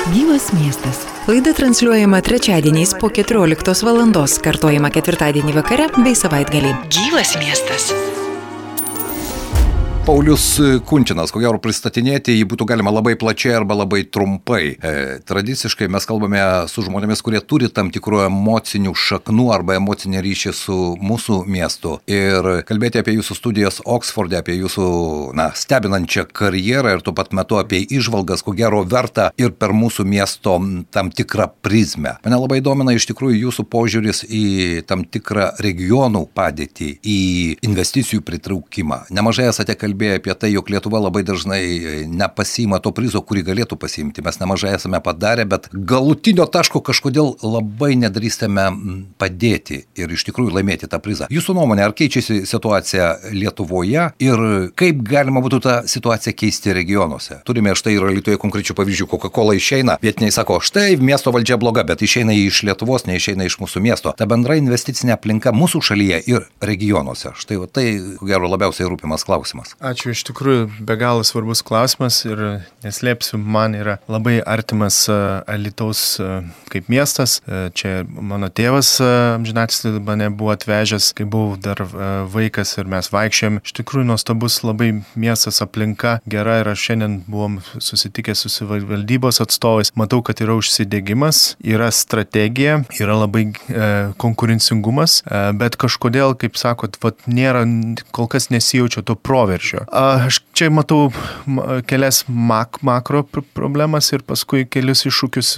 Gyvas miestas. Laida transliuojama trečiadieniais po 14 valandos, kartojama ketvirtadienį vakare bei savaitgalį. Gyvas miestas. Paulius Kunčinas, ko gero pristatinėti jį būtų galima labai plačiai arba labai trumpai. Tradiciškai mes kalbame su žmonėmis, kurie turi tam tikrų emocinių šaknų arba emocinį ryšį su mūsų miestu. Ir kalbėti apie jūsų studijas Oksforde, apie jūsų stebinančią karjerą ir tuo pat metu apie įžvalgas, ko gero verta ir per mūsų miesto tam tikrą prizmę. Mane labai domina iš tikrųjų jūsų požiūris į tam tikrą regionų padėtį, į investicijų pritraukimą. Nemažai esate kalbėję apie tai, jog Lietuva labai dažnai nepasiima to prizo, kurį galėtų pasiimti. Mes nemažai esame padarę, bet galutinio taško kažkodėl labai nedrįstame padėti ir iš tikrųjų laimėti tą prizą. Jūsų nuomonė, ar keičiasi situacija Lietuvoje ir kaip galima būtų tą situaciją keisti regionuose? Turime štai ir Alytuje konkrečių pavyzdžių. Coca-Cola išeina, vietiniai sako, štai miesto valdžia bloga, bet išeina iš Lietuvos, neišeina iš mūsų miesto. Ta bendra investicinė aplinka mūsų šalyje ir regionuose. Štai tai, ko gero, labiausiai rūpimas klausimas. Ačiū, iš tikrųjų be galo svarbus klausimas ir neslėpsiu, man yra labai artimas Alytaus kaip miestas. Čia mano tėvas amžinatilsį mane buvo atvežęs, kai buvau dar vaikas ir mes vaikščiojom. Iš tikrųjų nuostabus labai miestas, aplinka gera ir aš šiandien buvom susitikę su savivaldybos atstovais. Matau, kad yra užsidegimas, yra strategija, yra labai konkurencingumas, bet kažkodėl, kaip sakot, nėra, kol kas nesijaučia to proveržio. Aš čia matau kelias makro problemas ir paskui kelius iššūkius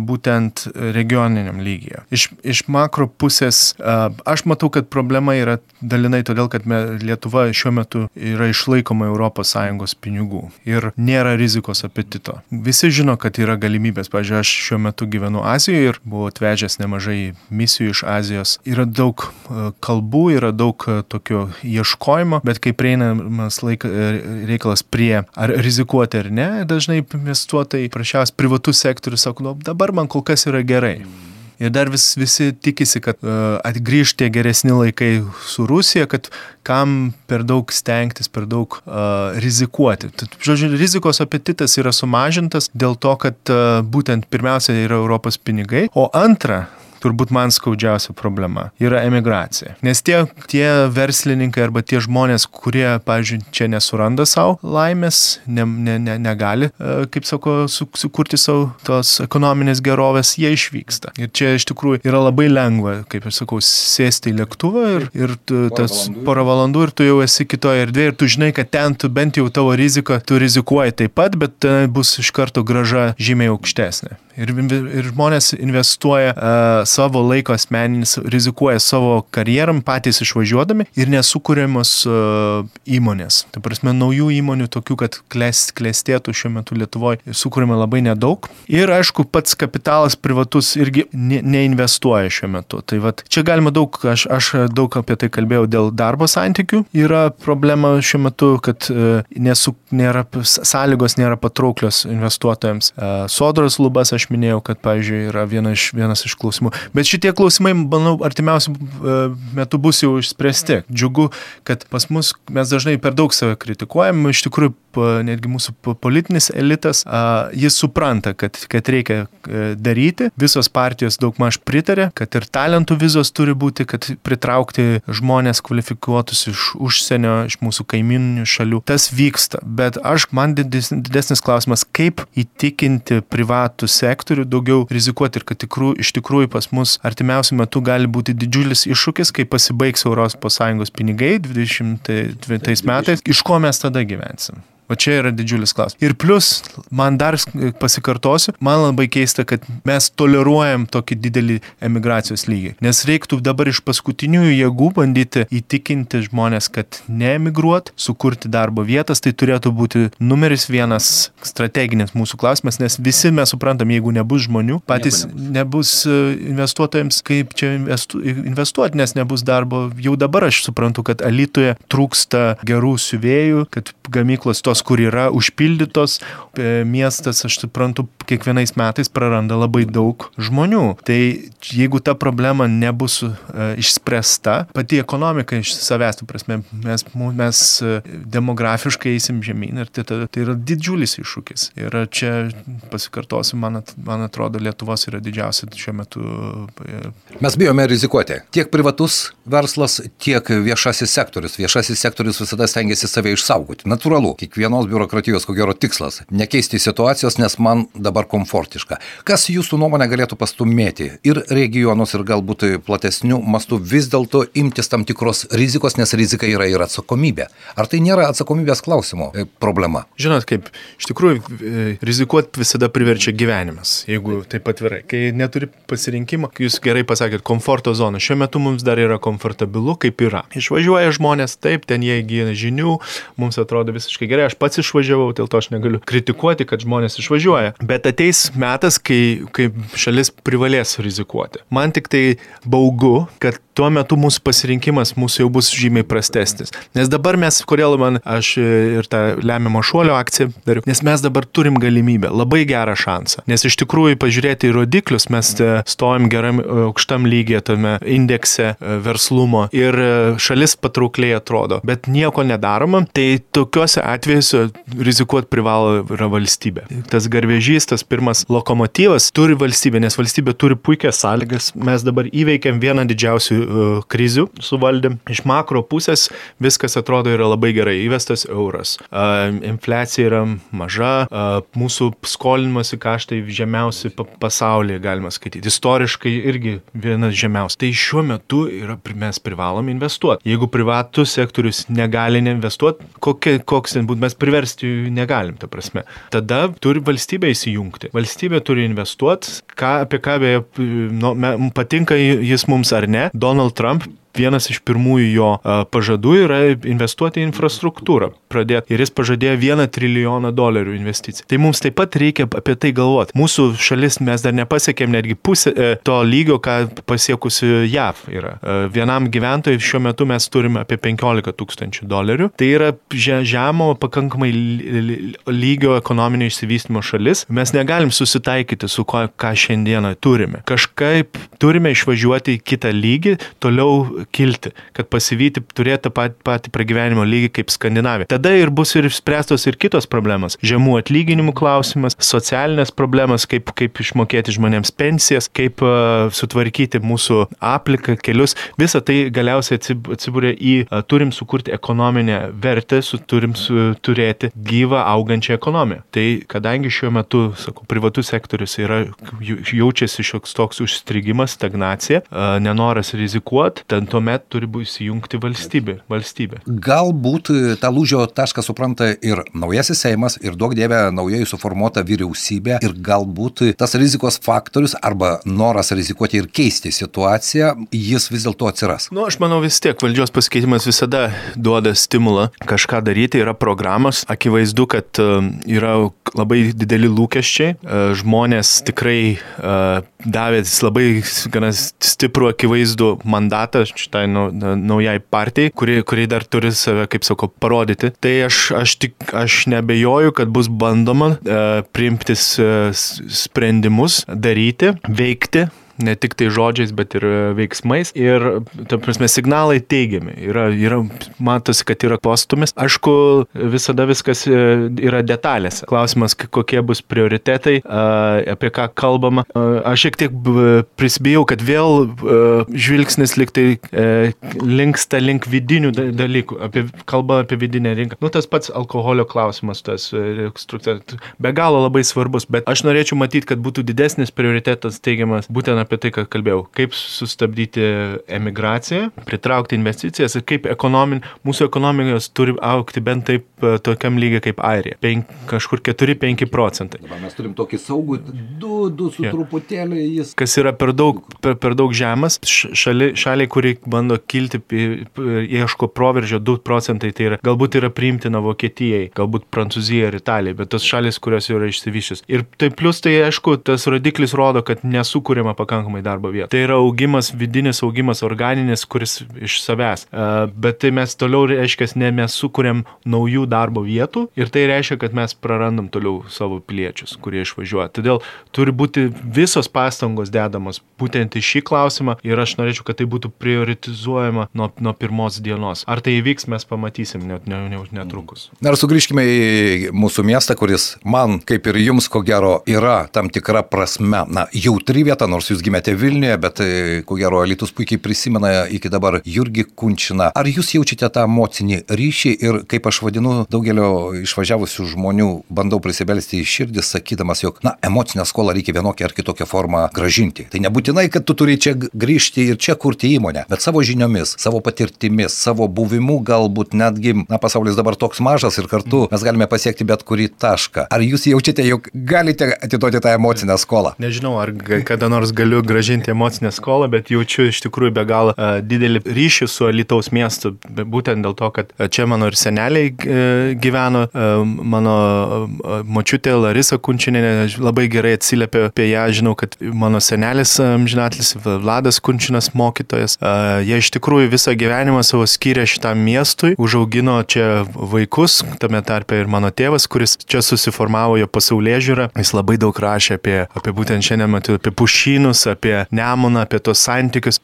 būtent regioniniam lygyje. Iš makro pusės aš matau, kad problema yra dalinai todėl, kad Lietuva šiuo metu yra išlaikoma ES pinigų ir nėra rizikos apetito. Visi žino, kad yra galimybės. Pavyzdžiui, aš šiuo metu gyvenu Azijoje ir buvau atvežęs nemažai misijų iš Azijos. Yra daug kalbų, yra daug tokio ieškojimo, bet kai prieinamas reikalas prie ar rizikuoti ar ne, dažnai investuotojai, prašiausias privatus sektorius sako, dabar man kol kas yra gerai. Ir dar visi tikisi, kad atgrįž tie geresni laikai su Rusija, kad kam per daug stengtis, per daug rizikuoti. Žodžiu, rizikos apetitas yra sumažintas dėl to, kad būtent pirmiausia yra Europos pinigai, o antra, turbūt man skaudžiausia problema yra emigracija. Nes tie verslininkai arba tie žmonės, kurie, pavyzdžiui, čia nesuranda savo laimės, negali, kaip sako, sukurti savo tos ekonominės gerovės, jie išvyksta. Ir čia iš tikrųjų yra labai lengva, kaip aš sakau, sėsti į lėktuvą ir tas porą valandų ir tu jau esi kitoje erdvėje ir tu žinai, kad ten tu bent jau tavo rizika, tu rizikuoji taip pat, bet bus iš karto grąža žymiai aukštesnė. Ir žmonės investuoja savo laiko asmeninis, rizikuoja savo karjeram patys išvažiuodami ir nesukūriamos įmonės. Tai prasme, naujų įmonių tokių, kad klestėtų šiuo metu Lietuvoje, sukūrėme labai nedaug. Ir aišku, pats kapitalas privatus irgi neinvestuoja šiuo metu. Tai vat, čia galima daug, aš daug apie tai kalbėjau dėl darbo santykių. Yra problema šiuo metu, kad sąlygos nėra patrauklios investuotojams. Sodros lubas, aš minėjau, kad, pavyzdžiui, yra vienas iš klausimų. Bet šitie klausimai, manau, artimiausių metų bus jau išspręsti. Džiugu, kad pas mus mes dažnai per daug save kritikuojam. Iš tikrųjų, netgi mūsų politinis elitas, jis supranta, kad reikia daryti. Visos partijos daugmaž pritarė, kad ir talentų vizos turi būti, kad pritraukti žmonės kvalifikuotus iš užsienio, iš mūsų kaimyninių šalių. Tas vyksta. Bet man didesnis klausimas, kaip įtikinti privatų sektorių daugiau rizikuoti ir kad iš tikrųjų pas mus artimiausiu metu gali būti didžiulis iššūkis, kai pasibaigs ES pinigai 2020 metais, iš ko mes tada gyvensim. O čia yra didžiulis klausimas. Ir plus, man dar pasikartosiu, man labai keista, kad mes toleruojam tokį didelį emigracijos lygį. Nes reiktų dabar iš paskutiniųjų jėgų bandyti įtikinti žmonės, kad neemigruot, sukurti darbo vietas, tai turėtų būti numeris vienas strateginis mūsų klausimas, nes visi mes suprantam, jeigu nebus žmonių, patys nebus investuotojams, kaip čia investuoti, nes nebus darbo. Jau dabar aš suprantu, kad Alytuje trūksta gerų siuvėjų, kad gamyklos tos zonos, kur yra užpildytos, miestas, aš suprantu, kiekvienais metais praranda labai daug žmonių. Tai jeigu ta problema nebus išspręsta, pati ekonomika iš savęs, prasme, mes demografiškai eisim žemyn ir tai yra didžiulis iššūkis. Ir čia pasikartosiu, man atrodo, Lietuvos yra didžiausia šiuo metu. Mes bijome rizikuoti. Tiek privatus verslas, tiek viešasis sektorius. Viešasis sektorius visada stengiasi save išsaugoti. Natūralu, kiekvienos biurokratijos ko gero tikslas – nekeisti situacijos, nes man dabar komfortiška. Kas jūsų nuomonė galėtų pastumėti ir regionus, ir galbūt platesnių mastų vis dėlto imtis tam tikros rizikos, nes rizika yra ir atsakomybė. Ar tai nėra atsakomybės klausimo problema? Žinot, kaip iš tikrųjų rizikuoti visada priverčia gyvenimas, jeigu taip atvirai. Kai neturi pasirinkimo, jūs gerai pasakėt, komforto zona. Šiuo metu mums dar yra komfortabilu, kaip yra. Išvažiuoja žmonės, taip, ten jie įgyja žinių, mums atrodo visiškai gerai. Aš pats išvažiavau, dėl to aš negaliu kritikuoti, kad žmonės išvažiuoja. Bet ateis metas, kai šalis privalės rizikuoti. Man tik tai baugu, kad tuo metu mūsų pasirinkimas mūsų jau bus žymiai prastesnis. Nes dabar kodėl aš ir tą lemiamo šuolio akciją dariau, nes mes dabar turim galimybę, labai gerą šansą. Nes iš tikrųjų pažiūrėti į rodiklius, mes stovim geram aukštam lygyje tame indekse verslumo ir šalis patraukliai atrodo, bet nieko nedaroma, tai tokiuose atvejuose rizikuoti privalo yra valstybė. Tas garvežys, tas pirmas lokomotyvas turi valstybė, nes valstybė turi puikias sąlygas. Mes dabar įveikėm vieną didžiausių krizių suvaldėm. Iš makro pusės viskas atrodo yra labai gerai. Įvestas euras. Infliacija yra maža. Mūsų skolinimosi kaštai žemiausi pasaulyje, galima skaityti. Istoriškai irgi vienas žemiausias. Tai šiuo metu mes privalom investuoti. Jeigu privatus sektorius negali investuoti, koks ten būtų, mes priversti negalim, ta prasme. Tada turi valstybė įsijungti. Valstybė turi investuoti. Apie ką patinka jis mums ar ne. Donald Trump, vienas iš pirmųjų jo pažadų yra investuoti į infrastruktūrą. Ir jis pažadėjo $1 trilijoną investicijų. Tai mums taip pat reikia apie tai galvoti. Mūsų šalis mes dar nepasiekėm netgi pusę to lygio, ką pasiekusi JAV yra. Vienam gyventojui šiuo metu mes turime apie $15,000. Tai yra žemo pakankamai lygio ekonominio išsivystymo šalis. Mes negalim susitaikyti su ką šiandieną turime. Kažkaip turime išvažiuoti į kitą lygį, toliau kilti, kad pasivyti, turėti patį pragyvenimo lygį kaip Skandinavija. Tada ir bus ir spręstos ir kitos problemos. Žemų atlyginimų klausimas, socialinės problemas, kaip išmokėti žmonėms pensijas, kaip sutvarkyti mūsų aplinką, kelius. Visą tai galiausiai atsibūrė turim sukurti ekonominę vertę, turim turėti gyvą augančią ekonomiją. Tai kadangi šiuo metu, privatus sektorius jaučiasi šioks toks užstrigimas, stagnacija, nenoras rizikuoti, tuomet turi įsijungti valstybė. Galbūt tą lūžio tašką supranta ir naujasis Seimas, ir duok dieve naujai suformuota vyriausybė, ir galbūt tas rizikos faktorius arba noras rizikuoti ir keisti situaciją, jis vis dėlto atsiras. Aš manau vis tiek valdžios pasikeitimas visada duoda stimulą kažką daryti, yra programos, akivaizdu, kad yra labai dideli lūkesčiai, žmonės tikrai davė labai gana stiprų akivaizdų mandatą šitai naujai partijai, kuri dar turi save, kaip sakau, parodyti. Tai aš neabejoju, kad bus bandoma priimti sprendimus, daryti, veikti. Ne tik tai žodžiais, bet ir veiksmais. Ir, ta prasme, signalai teigiami. Matosi, kad yra postumis. Aišku, visada viskas yra detalėse. Klausimas, kokie bus prioritetai, apie ką kalbama. Aš šiek tiek prisibijau, kad vėl žvilgsnis linksta link vidinių dalykų. Kalba apie vidinę rinką. Tas pats alkoholio klausimas, be galo labai svarbus. Bet aš norėčiau matyti, kad būtų didesnis prioritetas teigiamas būtent apie tai, ką kalbėjau. Kaip sustabdyti emigraciją, pritraukti investicijas ir kaip mūsų ekonomikos turi augti bent taip tokiam lygiai kaip Airija. Kažkur 4-5%. Dabar mes turim tokį saugų 2 su truputėlį jis. Kas yra per daug žemas. Šaliai, kuri bando kilti, ieško proveržio 2%, tai galbūt yra priimtina Vokietijai, galbūt Prancūzija ir Italija, bet tos šalis, kurios yra išsivyščius. Ir tai plus tai, aišku, tas rodiklis rodo, kad nesukūrėma pakankamai pakankamai darbo vietų. Tai yra augimas, vidinis augimas, organinis, kuris iš savęs. Bet tai mes toliau, reiškia, ne mes sukuriam naujų darbo vietų ir tai reiškia, kad mes prarandam toliau savo piliečius, kurie išvažiuoja. Todėl turi būti visos pastangos dedamos būtent į šį klausimą ir aš norėčiau, kad tai būtų prioritizuojama nuo pirmos dienos. Ar tai įvyks, mes pamatysim netrukus. Na ir sugrįžkime į mūsų miestą, kuris man, kaip ir jums, ko gero, yra tam tikra prasme, jautri vieta, nors jūs gimėte Vilniuje, bet ko gero Alytus puikiai prisimena iki dabar Jurgį Kunčiną. Ar jūs jaučiate tą emocinį ryšį ir, kaip aš vadinu, daugelio išvažiavusių žmonių bandau prisibelsti į širdį, sakydamas, jog, emocinę skolą reikia vienokią ar kitokią formą grąžinti. Tai nebūtinai, kad tu turi čia grįžti ir čia kurti įmonę, bet savo žiniomis, savo patirtimis, savo buvimu galbūt netgi, pasaulis dabar toks mažas ir kartu mes galime pasiekti bet kurį tašką. Ar jūs jaučiate, jog galite atiduoti tą emocinę skolą? Nežinau, ar kada nors galiu grąžinti emocinę skolą, bet jaučiu iš tikrųjų be galo didelį ryšį su Alytaus miestu, būtent dėl to, kad čia mano ir seneliai gyveno, mano močiutė Larisa Kunčinienė labai gerai atsiliepė apie ją, žinau, kad mano senelis amžinatlis Vladas Kunčinas mokytojas, jie iš tikrųjų visą gyvenimą savo skyrė šitam miestui, užaugino čia vaikus, tame tarpe ir mano tėvas, kuris čia susiformavo jo pasaulėžiūrą, jis labai daug rašė apie būtent šiandien matau, apie pušynus, apie Nemuną, apie tos santykius,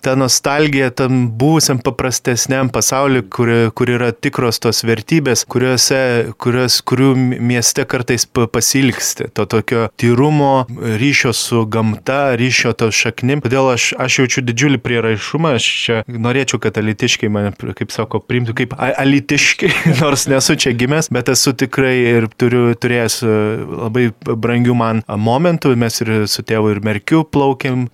ta nostalgija tam buvusiam paprastesniam pasauliu, kur yra tikros tos vertybės, kurių mieste kartais pasilgsti, to tokio tyrumo, ryšio su gamta, ryšio to šaknim. Todėl aš jaučiu didžiulį prieraišumą, aš čia norėčiau, kad alytiškiai mane, kaip sako, priimtų kaip alytiškiai, nors nesu čia gimęs, bet esu tikrai ir turėjęs labai brangių man momentų, mes ir su tėvu ir Merkiu plaukėm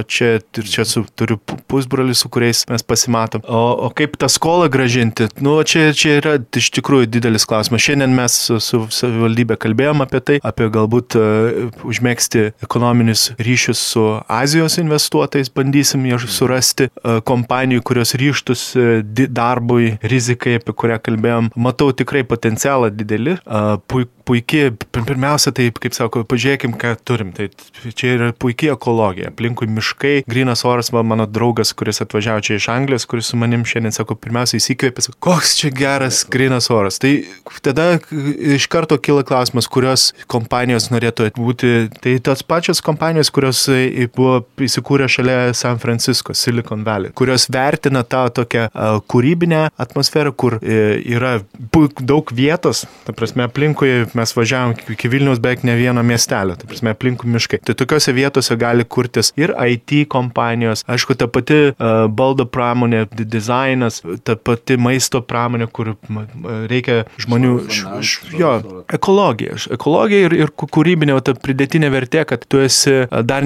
čia ir čia turiu pusbrolį, su kuriais mes pasimatom. O kaip tą skolą grąžinti? Čia yra iš tikrųjų didelis klausimas. Šiandien mes su savivaldybė kalbėjom apie tai, apie galbūt užmėgsti ekonominius ryšius su Azijos investuotojais, bandysim surasti kompanijų, kurios ryžtųsi darbui, rizikai, apie kurią kalbėjom. Matau tikrai potencialą didelį, puikiai, pirmiausia, tai, kaip sako, pažiūrėkim, ką turim. Tai čia yra puikiai ekologija, aplinkui miškai, grynas oras, mano draugas, kuris atvažiavo čia iš Anglijos, kuris su manim šiandien, sako, pirmiausia įsikvėpė, koks čia geras grynas oras. Tai tada iš karto kyla klausimas, kurios kompanijos norėtų būti, tai tos pačios kompanijos, kurios buvo įsikūrę šalia San Francisco, Silicon Valley, kurios vertina tą tokią kūrybinę atmosferą, kur yra daug vietos, ta prasme, aplinkui mes važiavom iki Vilniaus beveik ne vieno miestelio, ta prasme, aplinkui miškai. Tai tokiose vietose gali kurtis ir IT kompanijos, aišku, ta pati baldo pramonė, dizainas, ta pati maisto pramonė, kur reikia žmonių, ekologija ir kūrybinė, ta pridėtinė vertė, kad tu esi dar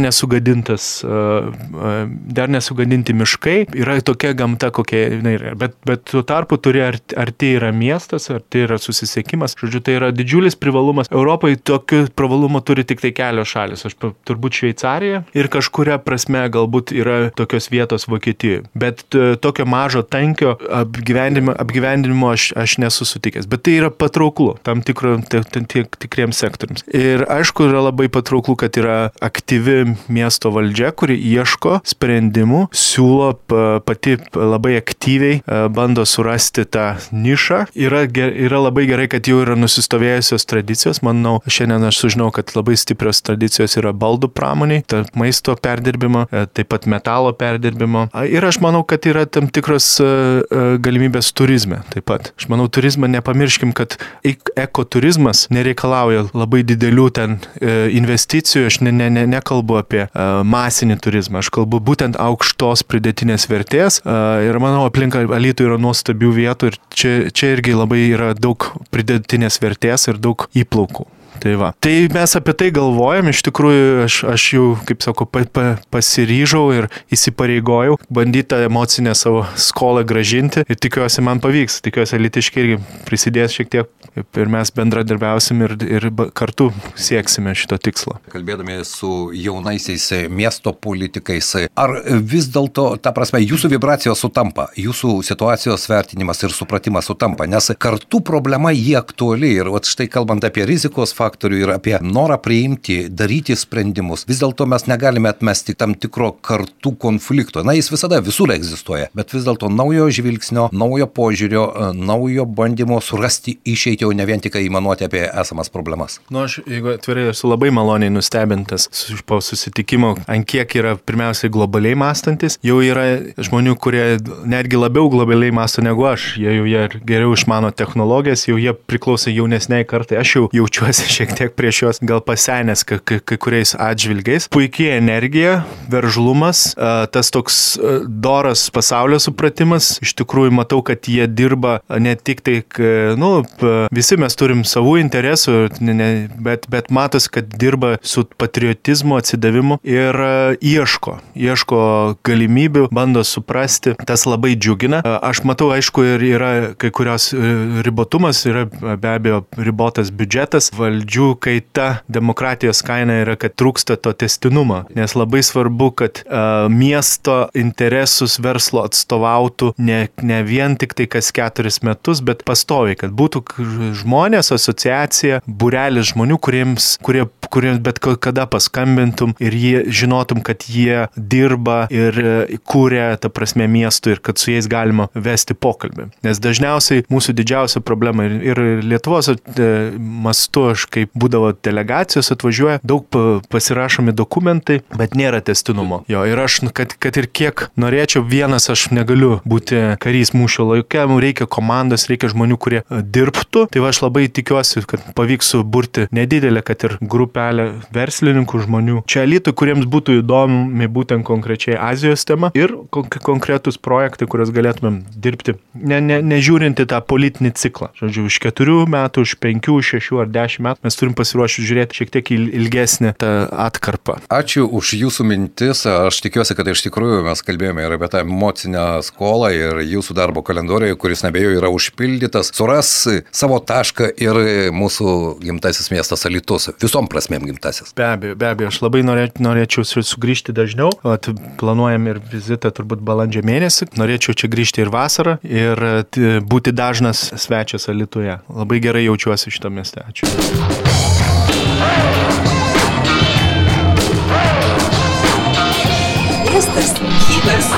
nesugadinti miškai, yra tokia gamta, kokia jinai yra. Bet tuo tarpu turi, ar tai yra miestas, ar tai yra susisiekimas. Žodžiu, tai yra didžiulis privalumas. Europai tokių privalumų turi tik tai kelios šalis. Aš turbūt Šveicarija ir kažkuria prasme galbūt yra tokios vietos Vokietijoje. Bet tokio mažo tankio apgyvendinimo aš nesu sutikęs. Bet tai yra patrauklu tam tikriems sektoriams. Ir aišku, yra labai patrauklu, kad yra aktyvi miesto valdžia, kuri ieško sprendimų, siūlo pati labai aktyviai, bando surasti tą nišą. Yra labai gerai, kad jau yra nusistovėjusios tradicijos. Manau, šiandien aš sužinau, kad labai stiprios tradicijos yra baldų pramoniai, maisto perdirbimo, taip pat metalo perdirbimo. Ir aš manau, kad yra tam tikros galimybės turizme. Taip pat. Aš manau, turizmą nepamirškim, kad ekoturizmas nereikalauja labai didelių ten investicijų. Aš nekalbu apie masinį turizmą. Aš kalbu būtent aukštos pridėtinės vertės. Ir manau, aplink Alytų yra nuostabių vietų ir čia irgi labai yra daug pridėtinės vertės ir daug įplaukų. Tai va. Tai mes apie tai galvojam, iš tikrųjų aš jau, kaip sakau, pasiryžau ir įsipareigojau bandyti tą emocinę savo skolą grąžinti ir tikiuosi man pavyks. Tikiuosi alytiškiai irgi prisidės šiek tiek ir mes bendradarbiausim ir kartu sieksime šito tikslo. Kalbėdami su jaunaisiais miesto politikais, ar vis dėlto, ta prasme, jūsų vibracijos sutampa, jūsų situacijos vertinimas ir supratimas sutampa, nes kartu problema jie aktuali ir štai kalbant apie rizikos faktorių ir apie norą priimti, daryti sprendimus. Vis dėlto mes negalime atmesti tam tikro kartų konflikto. Na, jis visada visur egzistuoja, bet vis dėlto naujo žvilgsnio, naujo požiūrio, naujo bandymo surasti išeitį, o ne vien tik įmanuoti apie esamas problemas. Aš, jeigu atvirai, esu labai maloniai nustebintas po susitikimo, ant kiek yra pirmiausiai globaliai mąstantis. Jau yra žmonių, kurie netgi labiau globaliai mąsto negu aš. Jie geriau išmano technologijas, jau jie priklauso jaunesniai kartai. Aš jau jaučiuosi šiek tiek prieš juos gal pasenęs kai kuriais atžvilgiais. Puikiai energija, veržlumas, tas toks doras pasaulio supratimas. Iš tikrųjų matau, kad jie dirba ne tik tai, visi mes turim savų interesų, bet matos, kad dirba su patriotizmu, atsidavimu ir ieško galimybių, bando suprasti, tas labai džiugina. Aš matau, aišku, ir yra kai kurios ribotumas, yra be abejo ribotas biudžetas, valdžių kaita, demokratijos kaina yra, kad trūksta to tęstinumo, nes labai svarbu, kad miesto interesus verslo atstovautų ne vien tik tai kas 4 metus, bet pastoviai, kad būtų žmonės, asociacija, būrelis žmonių, kuriems bet kada paskambintum ir jie žinotum, kad jie dirba ir kūrė, ta prasme, miestų ir kad su jais galima vesti pokalbį. Nes dažniausiai mūsų didžiausia problema ir Lietuvos mastu, aš kaip būdavo delegacijos atvažiuoja, daug pasirašomi dokumentai, bet nėra tęstinumo. Jo, ir aš, kad ir kiek norėčiau, vienas aš negaliu būti karys mūšio lauke, reikia komandos, reikia žmonių, kurie dirbtų. Tai aš labai tikiuosi, kad pavyks suburti nedidelę, kad ir grupelę verslininkų žmonių čia Alytui, kuriems būtų įdomi būtent konkrečiai Azijos tema ir konkretus projektai, kuriuos galėtumėm dirbti, nežiūrinti tą politinį ciklą. Žodžiu, už 4 metų, už 5, 6 ar 10 metų mes turim pasiruošti žiūrėti šiek tiek ilgesnį tą atkarpą. Ačiū už jūsų mintis. Aš tikiuosi, kad iš tikrųjų mes kalbėjome ir apie tą emocinę skolą ir jūsų darbo kalendorijoje, kuris nebejo yra užpildytas, suras savo tašką ir mūsų gimtasis miestas Alytus. Visom prasmėm gimtasis. Be abejo, aš labai norėčiau sugrįžti dažniau. Planuojam ir vizitą turbūt balandžio mėnesį. Norėčiau čia grįžti ir vasarą ir būti dažnas svečias Alytuje. Labai gerai jaučiuosi šitą miestą. Ačiū. Miestas gyvas.